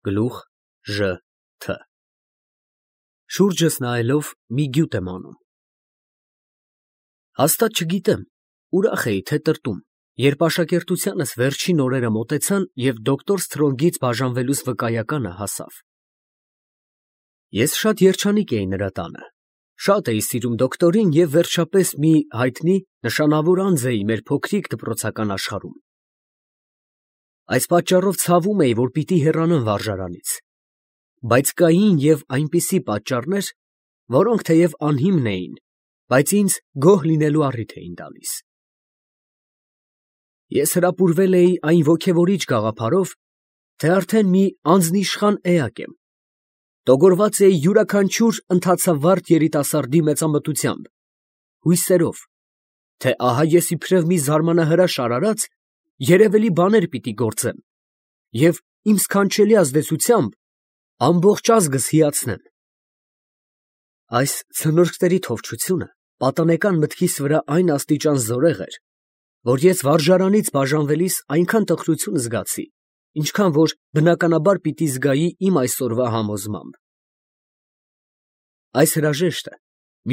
Գլուխ Ժ Թ Շուրջս նայելով մի գյուտ եմ անում։ Հաստատ չգիտեմ, ուրախ էի, թե տրտում, երբ աշակերտությանս վերջին օրերը մոտեցան և դոկտոր Սթրոնգից բաժանվելուս վկայականը հասավ։ Ես շատ երջանիկ էի նրա տանը, շատ էի սիրում դոկտորին և վերջապես մի հայտնի նշանավոր անձ էի մեր փոքրիկ դպրոցական աշխարհում։ Այս պատճառով ցավում էի, որ պիտի հեռանամ վարժարանից, բայց կային և այնպիսի պատճառներ, որոնք թեև անհիմն էին, բայց ինձ գոհ լինելու առիթ էին տալիս։ Ես հրապուրվել էի այն ոգևորիչ գաղափարով, թե արդեն մի անձնիշխան էակ եմ, տոգորված էի յուրաքանչյուր ընդացավառ երիտասարդի մեծամտությամբ, հույսերով, թե ահա ես իբրև մի զարմանահրաշ արարած երևելի բաներ պիտի գործեմ և իմ սքանչելի ազդեցությամբ ամբողջ ազգս հիացնեմ։ Այս ցնորքների թովչությունը պատանեկան մտքիս վրա այն աստիճան զորեղ էր, որ ես վարժարանից բաժանվելիս այնքան տխրություն զգացի, ինչքան որ բնականաբար պիտի զգայի իմ այսօրվա համոզմամբ։ Այս հրաժեշտը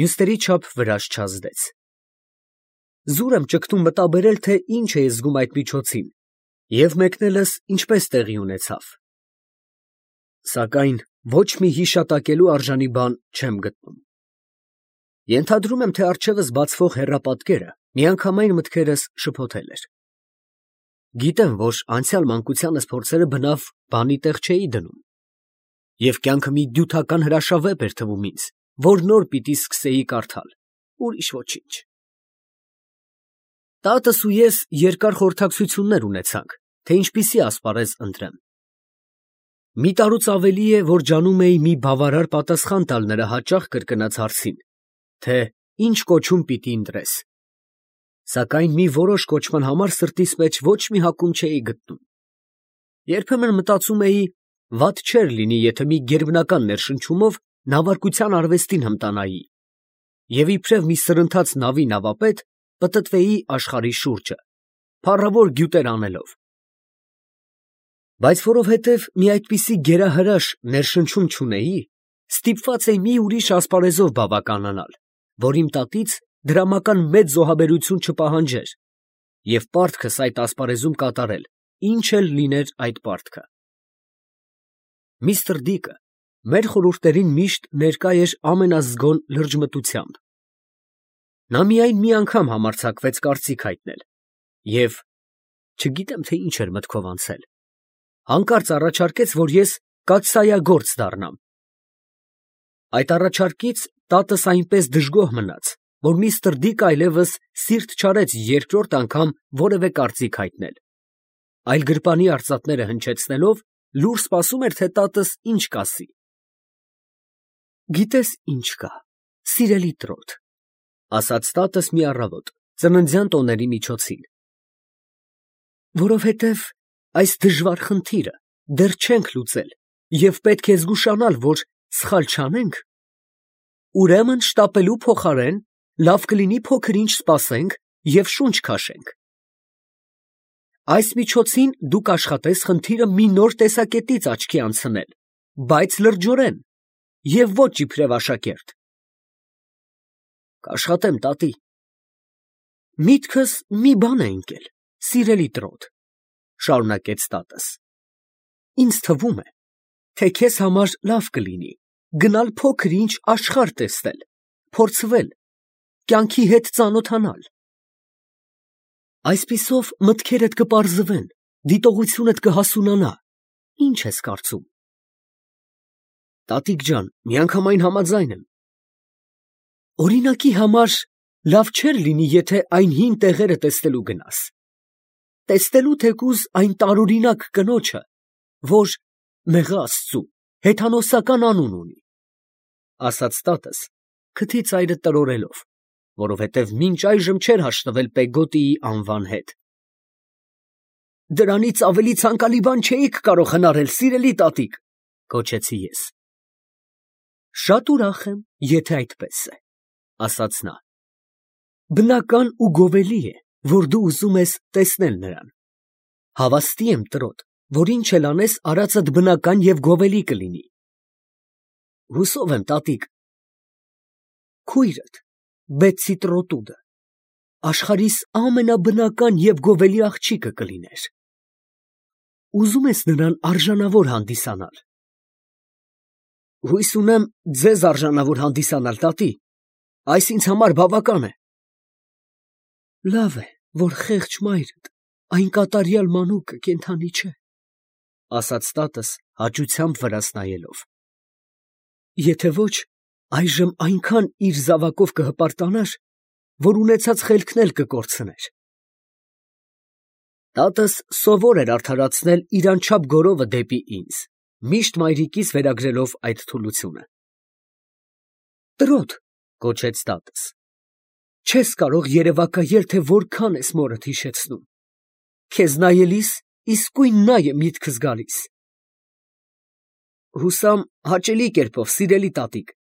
մյուսների չափ վրաջ չազդեց։ Զուր եմ ճգտում մտաբերել, թե ինչ էի զգում այդ միջոցին և մեկնելս ինչպես տեղի ունեցավ։ Սակայն ոչ մի հիշատակելու արժանի բան չեմ գտնում։ Ենթադրում եմ, թե առջևս բացվող հեռապատկերը միանգամայն մտքերս շփոթել էր։ Գիտեմ, որ անցյալ մանկությանս փորձերը բնավ բանի տեղ չէի դնում, և կյանքը մի դյութական հրաշավեպ էր թվում ինձ, որ նոր պիտի սկսեի կարդալ, ուրիշ ոչինչ։ Տատս ու ես երկար խորհրդակցություններ ունեցանք, թե ինչպիսի ասպարեզ ընտրեմ։ Մի տարուց ավելի է, որ ջանում էի մի բավարար պատասխան տալ նրա հաճախ կրկնած հարցին, թե ինչ կոչում պիտի ընտրես, սակայն մի որոշ կոչման համար սրտիս մեջ ոչ մի հակում չէի գտնում։ Երբեմն մտածում էի, վատ չէր լինի, եթե մի գերբնական ներշնչումով նավարկության արվեստին հմտանայի և իբրև մի սրընթաց նավի նավապետ պտտվեի աշխարհի շուրջը, փառավոր գյուտեր անելով։ Բայց որովհետև մի այդպիսի գերահրաշ ներշնչում չունեի, ստիպված էի մի ուրիշ ասպարեզով բավականանալ, որ իմ տատից դրամական մեծ զոհաբերություն չպահանջեր և պարտքս այդ ասպարեզում կատարել, ինչ էլ լիներ այդ պարտքը։ Միսթր Դիկը մեր խորհուրդներին միշտ ներկա էր ամենազգոն լրջմտությամբ։ Նա միայն մի անգամ համարձակվեց կարծիք հայտնել և, չգիտեմ, թե ինչ էր մտքով անցել, հանկարծ առաջարկեց, որ ես կաթսայագործ դառնամ։ Այդ առաջարկից տատս այնպես դժգոհ մնաց, որ միստր Դիկը այլևս սիրտ չարեց երկրորդ անգամ որևէ կարծիք հայտնել, այլ գրպանի արծաթները հնչեցնելով լուռ սպասում էր, թե տատս ինչ կասի։ «Գիտես ինչ կա, սիրելի trot», ասաց տատս մի առավոտ, ծննդյան տոների միջոցին, որովհետև այս դժվար խնդիրը դեռ չենք լուծել և պետք է զգուշանալ, որ սխալ չանենք, ուրեմն շտապելու փոխարեն լավ կլինի փոքր-ինչ սպասենք և շունչ քաշենք։ Այս միջոցին դու կաշխատես խնդիրը մի նոր տեսակետից աչքի անցնել, բայց լրջորեն և ոչ իբրև աշակերտ։ Կաշխատեմ, տատի։ Միտքս մի բան է ընկել, սիրելի trot, շարունակեց տատս. ինձ թվում է, թե քեզ համար լավ կլինի գնալ փոքր-ինչ աշխարհ տեսնել, փորձվել, կյանքի հետ ծանոթանալ։ Այսպիսով մտքերդ կպարզվեն, դիտողությունդ կհասունանա, ինչ ես կարծում։ Տատիկ ջան, միանգամայն համաձայն եմ։ Օրինակի համար լավ չէր լինի, եթե այն հին տեղերը տեսնելու գնաս, տեսնելու թեկուզ այն տարօրինակ կնոջը, որ, մեղա Աստծու, հեթանոսական անուն ունի, ասաց տատս, քթի ծայրը տրորելով, որովհետև մինչ այժմ չէր հաշտվել Պեգոտիի անվան հետ։ Դրանից ավելի ցանկալի բան չէիք կարող հնարել, սիրելի տատիկ, գոչեցի ես։ Շատ ուրախ եմ, եթե այդպես է, ասաց նա։ Բնական ու գովելի է, որ դու ուզում ես տեսնել նրան։ Հավաստի եմ, trot, որ ինչ էլ անես, արածդ բնական և գովելի կլինի։ Հուսով եմ, տատիկ, քույրդ, Բեցի Տրոտուդը, աշխարհիս ամենաբնական և գովելի աղջիկը կլիներ։ Ուզում ես նրան արժանավոր հանդիսանալ։ Հույս ունեմ ձեզ արժանավոր հանդիսանալ, տատի, այս ինձ համար բավական է։ Լավ է, որ խեղճ մայրդ, այն կատարյալ մանուկը կենդանի չէ, ասաց տատս հաճությամբ վրաս նայելով։ Եթե ոչ, այժմ այնքան իր զավակով կհպարտանար, որ ունեցած խելքն էլ կկորցներ։ Տատս սովոր էր արդարացնել իր անչափ գորովը դեպի ինձ, միշտ մայրիկիս վերագրելով այդ թուլությունը։ Տրոտ, կոչեց տատս, չես կարող երևակայել, թե որքան ես մորդ հիշեցնում։ Քեզ նայելիս իսկույն նա է միտքս գալիս։ Հուսամ հաճելի կերպով, սիրելի տատիկ։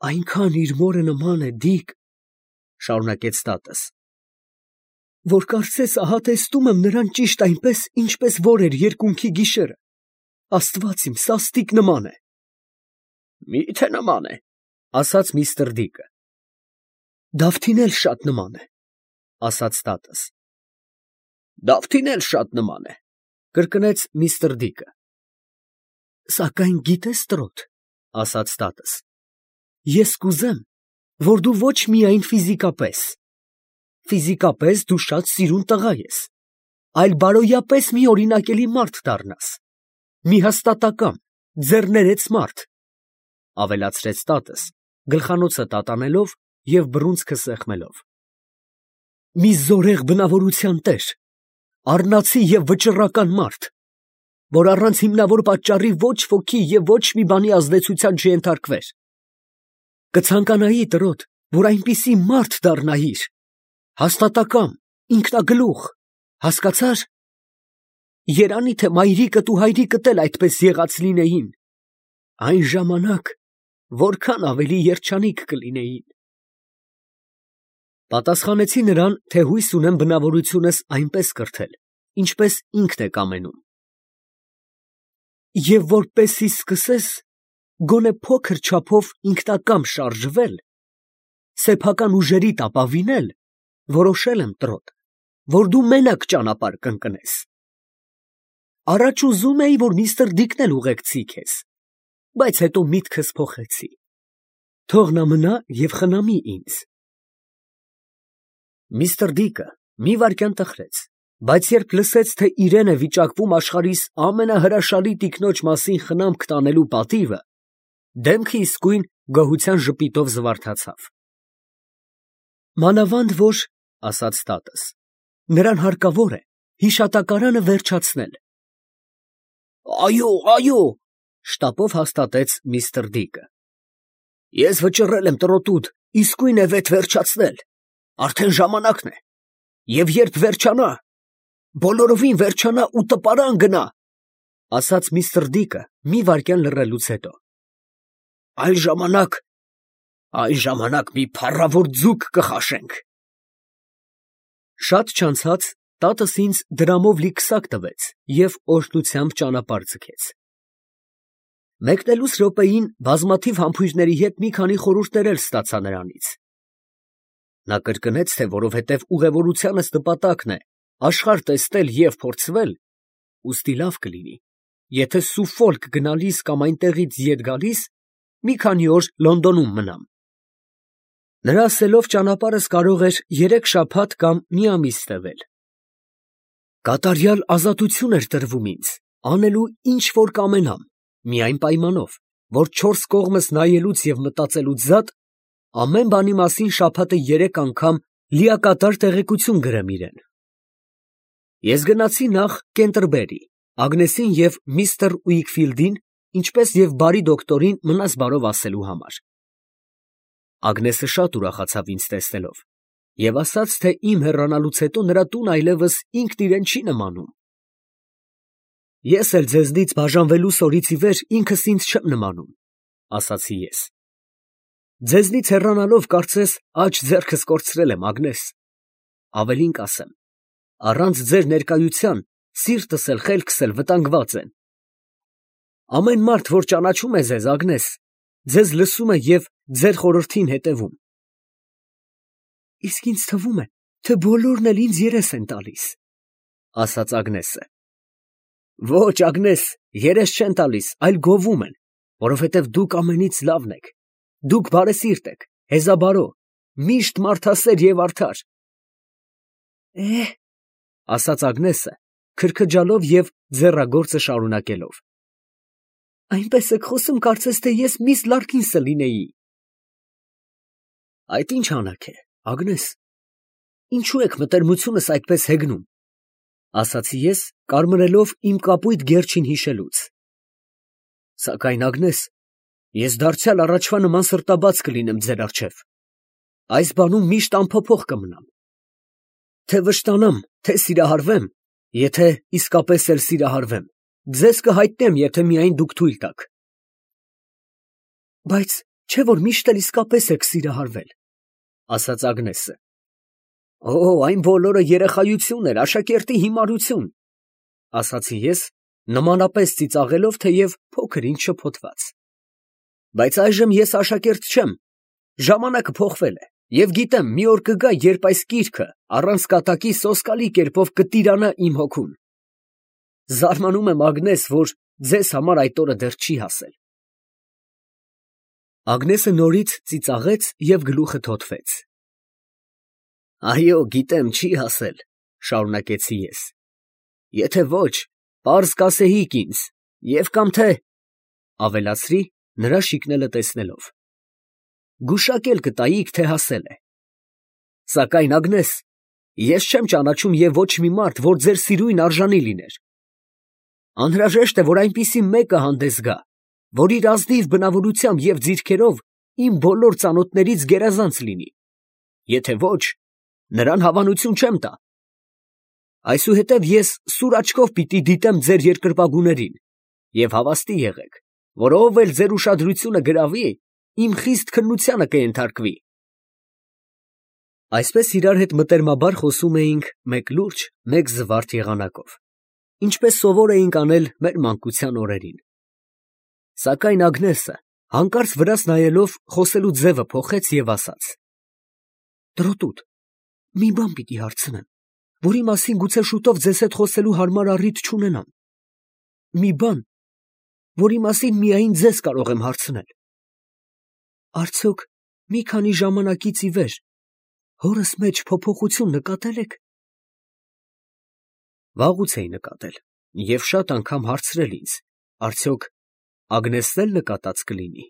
Այնքան իր մորը նման է, Դիկ, շարունակեց տատս, որ կարծես ահա տեսնում եմ նրան ճիշտ այնպես, ինչպես որ էր երկունքի գիշերը։ Աստված իմ, սաստիկ նման է։ Մի՞թե նման է, ասաց միստր Դիկը։ Դավթին էլ շատ նման է, ասաց տատս։ Դավթին էլ շատ նման է, կրկնեց միստր Դիկը։ Սակայն գիտես, Տրոտ, ասաց տատս, ես կուզեմ, որ դու ոչ միայն ֆիզիկապես դու շատ սիրուն տղա ես, այլ բարոյապես մի օրինակելի մարդ դառնաս, մի հաստատակամ, ձեռներեց մարդ, ավելացրեց տատս, գլխանոցը տատանելով և բռունցքը սեղմելով։ Մի զորեղ բնավորության տեր, առնացի և վճռական մարդ, որ առանց հիմնավոր պատճառի ոչ ոքի և ոչ մի բանի ազդեցության չենթարկվեր։ Կցանկանայի, Տրոտ, որ այնպիսի մարդ դառնայիր, հաստատակամ, ինքնագլուխ, հասկացա՞ր։ Երանի թե մայրիկդ ու հայրիկդ էլ այդպես եղած լինեին, այն ժամանակ որքան ավելի երջանիկ կլինեին։ Պատասխանեցի նրան, թե հույս ունեմ բնավորությունս այնպես կրթել, ինչպես ինքն է կամենում։ Եվ որպեսզի սկսես գոնե փոքր չափով ինքնակամ շարժվել, սեփական ուժերիդ ապավինել, որոշել եմ, Տրոտ, որ դու մենակ ճանապարհ կընկնես։ Առաջ ուզում էի, որ միստր Դիկն էլ ուղեկցի քեզ, բայց հետո միտքս փոխեցի։ Թող նա մնա և խնամի ինձ։ Միստր Դիկը մի վայրկյան տխրեց, բայց երբ լսեց, թե իրեն է վիճակվում աշխարհիս ամենահրաշալի տիկնոջ մասին խնամք տանելու պատիվը, դեմքը իսկույն գոհության ժպիտով զվարթացավ։ Մանավանդ որ, ասաց տատս, նրան հարկավոր է հիշատակարանը վերջացնել։ Այո, այո, շտապով հաստատեց միստր Դիկը։ Ես վճռել եմ, Տրոտուդ, իսկույն է վեթ վերջացնել, արդեն ժամանակն է, և երբ վերջանա, բոլորովին վերջանա ու տպարան գնա, ասաց միստր Դիկը մի վայրկյան լռելուց հետո։ Այն ժամանակ մի փառավոր ձուկ կխաշենք։ Շատ չանցած տատս ինձ դրամով լի քսակ տվեց և օրհնությամբ ճանապարհ ձգեց։ Մեկնելուս րոպեին բազմաթիվ համբույրների հետ մի քանի խորհուրդներ էլ ստացա նրանից։ Նա կրկնեց, թե որովհետև ուղևորությանս նպատակն է աշխարհ տեսնել և փորձվել, ուստի լավ կլինի, եթե Սուֆոլք գնալիս կամ այնտեղից ետ գալիս մի քանի օր Լոնդոնում մնամ։ Նրա ասելով ճանապարհս կարող էր 3 շաբաթ կամ մի ամիս տևել։ Կատարյալ ազատություն էր տրվում ինձ, անելու ինչ որ կամենամ, միայն պայմանով, որ 4 կողմս նայելուց և մտածելուց զատ ամեն բանի մասին շաբաթը 3 անգամ լիակատար տեղեկություն գրեմ իրեն։ Ես գնացի նախ Կենտերբերի, Ագնեսին և միստր Ուիքֆիլդին, ինչպես և բարի դոկտորին մնաս բարով ասելու համար։ Ագնեսը շատ ուրախացավ ինձ տեսնելով և ասաց, թե իմ հեռանալուց հետո նրա տունը այլևս ինքն իրեն չի նմանում։ Ես էլ ձեզնից բաժանվելուս օրից ի վեր ինքս ինձ չեմ նմանում, ասացի ես։ Ձեզնից հեռանալով կարծես աջ ձեռքս կորցրել եմ, Ագնես։ Ավելին կասեմ, առանց ձեր ներկայության սիրտս էլ խելքս էլ վտանգված են։ Ամեն մարդ, որ ճանաչում է ձեզ, Ագնես, ձեզ լսում է և ձեր խորհրդին հետևում։ Իսկ ինձ թվում է, թե բոլորն էլ ինձ երես են տալիս, ասաց Ագնեսը։ Ոչ, Ագնես, երես չեն տալիս, այլ գովում են, որովհետև դուք ամենից լավն եք, դուք բարեսիրտ եք, հեզաբարո, միշտ մարդասեր և արդար։ Ասաց Ագնեսը, քրքջալով և ձեռագործը շարունակելով։ Այնպես եք խոսում, կարծես թե ես միս Լարքինսը լինեի։ Այդ ինչ անակ է, Ագնես, ինչու եք մտերմությունս այդպես հեգնում, ասացի ես, կարմրելով իմ կապույտ գերջին հիշելուց։ Սակայն, Ագնես, ես դարձյալ առաջվա նման սրտաբաց կլինեմ ձեր առջև, այս բանում միշտ անփոփոխ կմնամ, թե վշտանամ, թե սիրահարվեմ, եթե իսկապես էլ սիրահարվեմ, ձեզ կհայտնեմ, եթե միայն դուք թույլ տաք։ Բայց չէ՞ որ միշտ էլ իսկապես եք սիրահարվել, ասաց Ագնեսը։ Այն բոլորը երեխայություն էր, աշակերտի հիմարություն, ասացի ես, նմանապես ծիծաղելով, թեև փոքր ինչ շփոթված։ Բայց այժմ ես աշակերտ չեմ, ժամանակը փոխվել է, և գիտեմ, մի օր կգա, երբ այս կիրքը առանց կատակի սոսկալի կերպով կտիրանա իմ հոգուն։ Զարմանում եմ, Ագնես, որ ձեզ համար այդ օրը դեռ չի հասել։ Ագնեսը նորից ծիծաղեց և գլուխը թոթվեց։ Այո, գիտեմ, չի հասել, շարունակեցի ես։ Եթե ոչ, պարզ կասեիք ինձ, և կամ թե, ավելացրի, նրա շիկնելը տեսնելով, գուշակել կտայիք, թե հասել է։ Սակայն, Ագնես, ես չեմ ճանաչում և ոչ մի մարդ, որ ձեր սիրույն արժանի լիներ։ Անհրաժեշտ է, որ այնպիսի մեկը հանդես գա, որ իր ազնիվ բնավորությամբ և ձիրքերով իմ բոլոր ծանոթներից գերազանց լինի։ Եթե ոչ, նրան հավանություն չեմ տա։ Այսուհետև ես սուր աչքով պիտի դիտեմ ձեր երկրպագուներին, և հավաստի եղեք, որ ով էլ ձեր ուշադրությունը գրավի, իմ խիստ քննությանը կենթարկվի։ Այսպես իրար հետ մտերմաբար խոսում էինք մեկ լուրջ, մեկ զվարթ եղանակով, ինչպես սովոր էինք անել մեր մանկության օրերին։ Սակայն Ագնեսը, հանկարծ վրաս նայելով, խոսելու ձևը փոխեց և ասաց. Տրոտուտ, մի բան պիտի հարցնեմ, որի մասին գուցե շուտով ձեզ հետ խոսելու հարմար առիթ չունենամ։ Մի բան, որի մասին միայն ձեզ կարող եմ հարցնել։ Արդյոք մի քանի ժամանակից ի վեր հորս մեջ փոփոխություն նկատել եք։ Վաղուց էի նկատել և շատ անգամ հարցրել ինձ, արդյոք Ագնեսն էլ նկատած կլինի։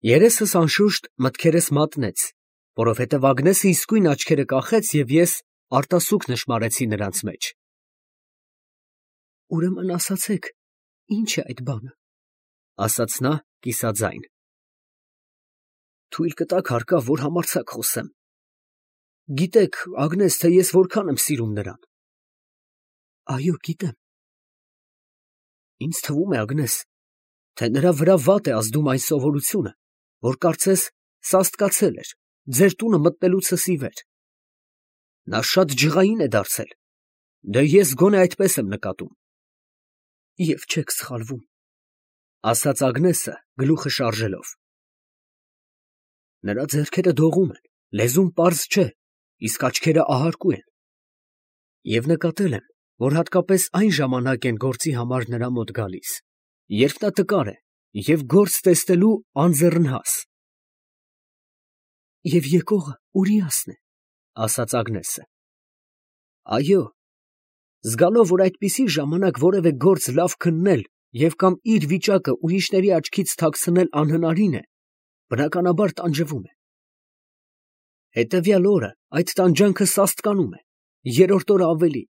Երեսս անշուշտ մտքերս մատնեց, որովհետև Ագնեսը իսկույն աչքերը կախեց և ես արտասուք նշմարեցի նրանց մեջ։ Ուրեմն ասացեք, ի՞նչ է այդ բանը, ասաց նա կիսաձայն։ Թույլ կտաք հարկավ, որ համարձակ խոսեմ։ Գիտեք, Ագնես, թե ես որքան եմ սիրում նրան։ Այո, գիտեմ։ Ինձ թվում է, Ագնես, թե նրա վրա վատ է ազդում այն սովորությունը, որ կարծես սաստկացել էր ձեր տունը մտնելուցս ի վեր։ Նա շատ ջղային է դարձել, դե ես գոնե այդպես եմ նկատում։ Եվ չեք սխալվում, ասաց Ագնեսը գլուխը շարժելով։ Նրա ձեռքերը դողում են, լեզուն պարզ չէ, իսկ աչքերը ահարկու են։ Եվ նկատել եմ, որ հատկապես այն ժամանակ են գործի համար նրա մոտ գալիս, երբ նա տկար է և գործ տեսնելու անձեռնհաս։ Եվ եկողը Ուրիասն է, ասաց Ագնեսը։ Այո, զգալով, որ այդպիսի ժամանակ որևէ գործ լավ քննել և կամ իր վիճակը ուրիշների աչքից թաքցնել անհնարին է, բնականաբար տանջվում է։ Հետևյալ օրը այդ տանջանքը սաստկանում է, երրորդ օրը ավելի,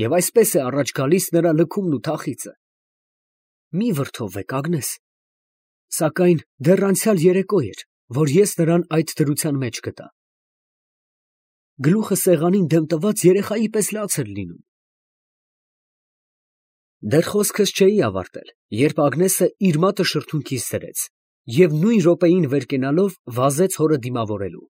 և այսպես է առաջ գալիս նրա լքումն ու թախիծը։ Մի վրդովվեք, Ագնես, սակայն դեռ անցյալ երեկո էր, որ ես նրան այդ դրության մեջ գտա։ Գլուխը սեղանին դեմ տված երեխայի պես լաց էր լինում։ Դեռ խոսքս չէի ավարտել, երբ Ագնեսը իր մատը շրթունքիս դրեց և նույն րոպեին վեր կենալով վազեց հորը դիմավորելու։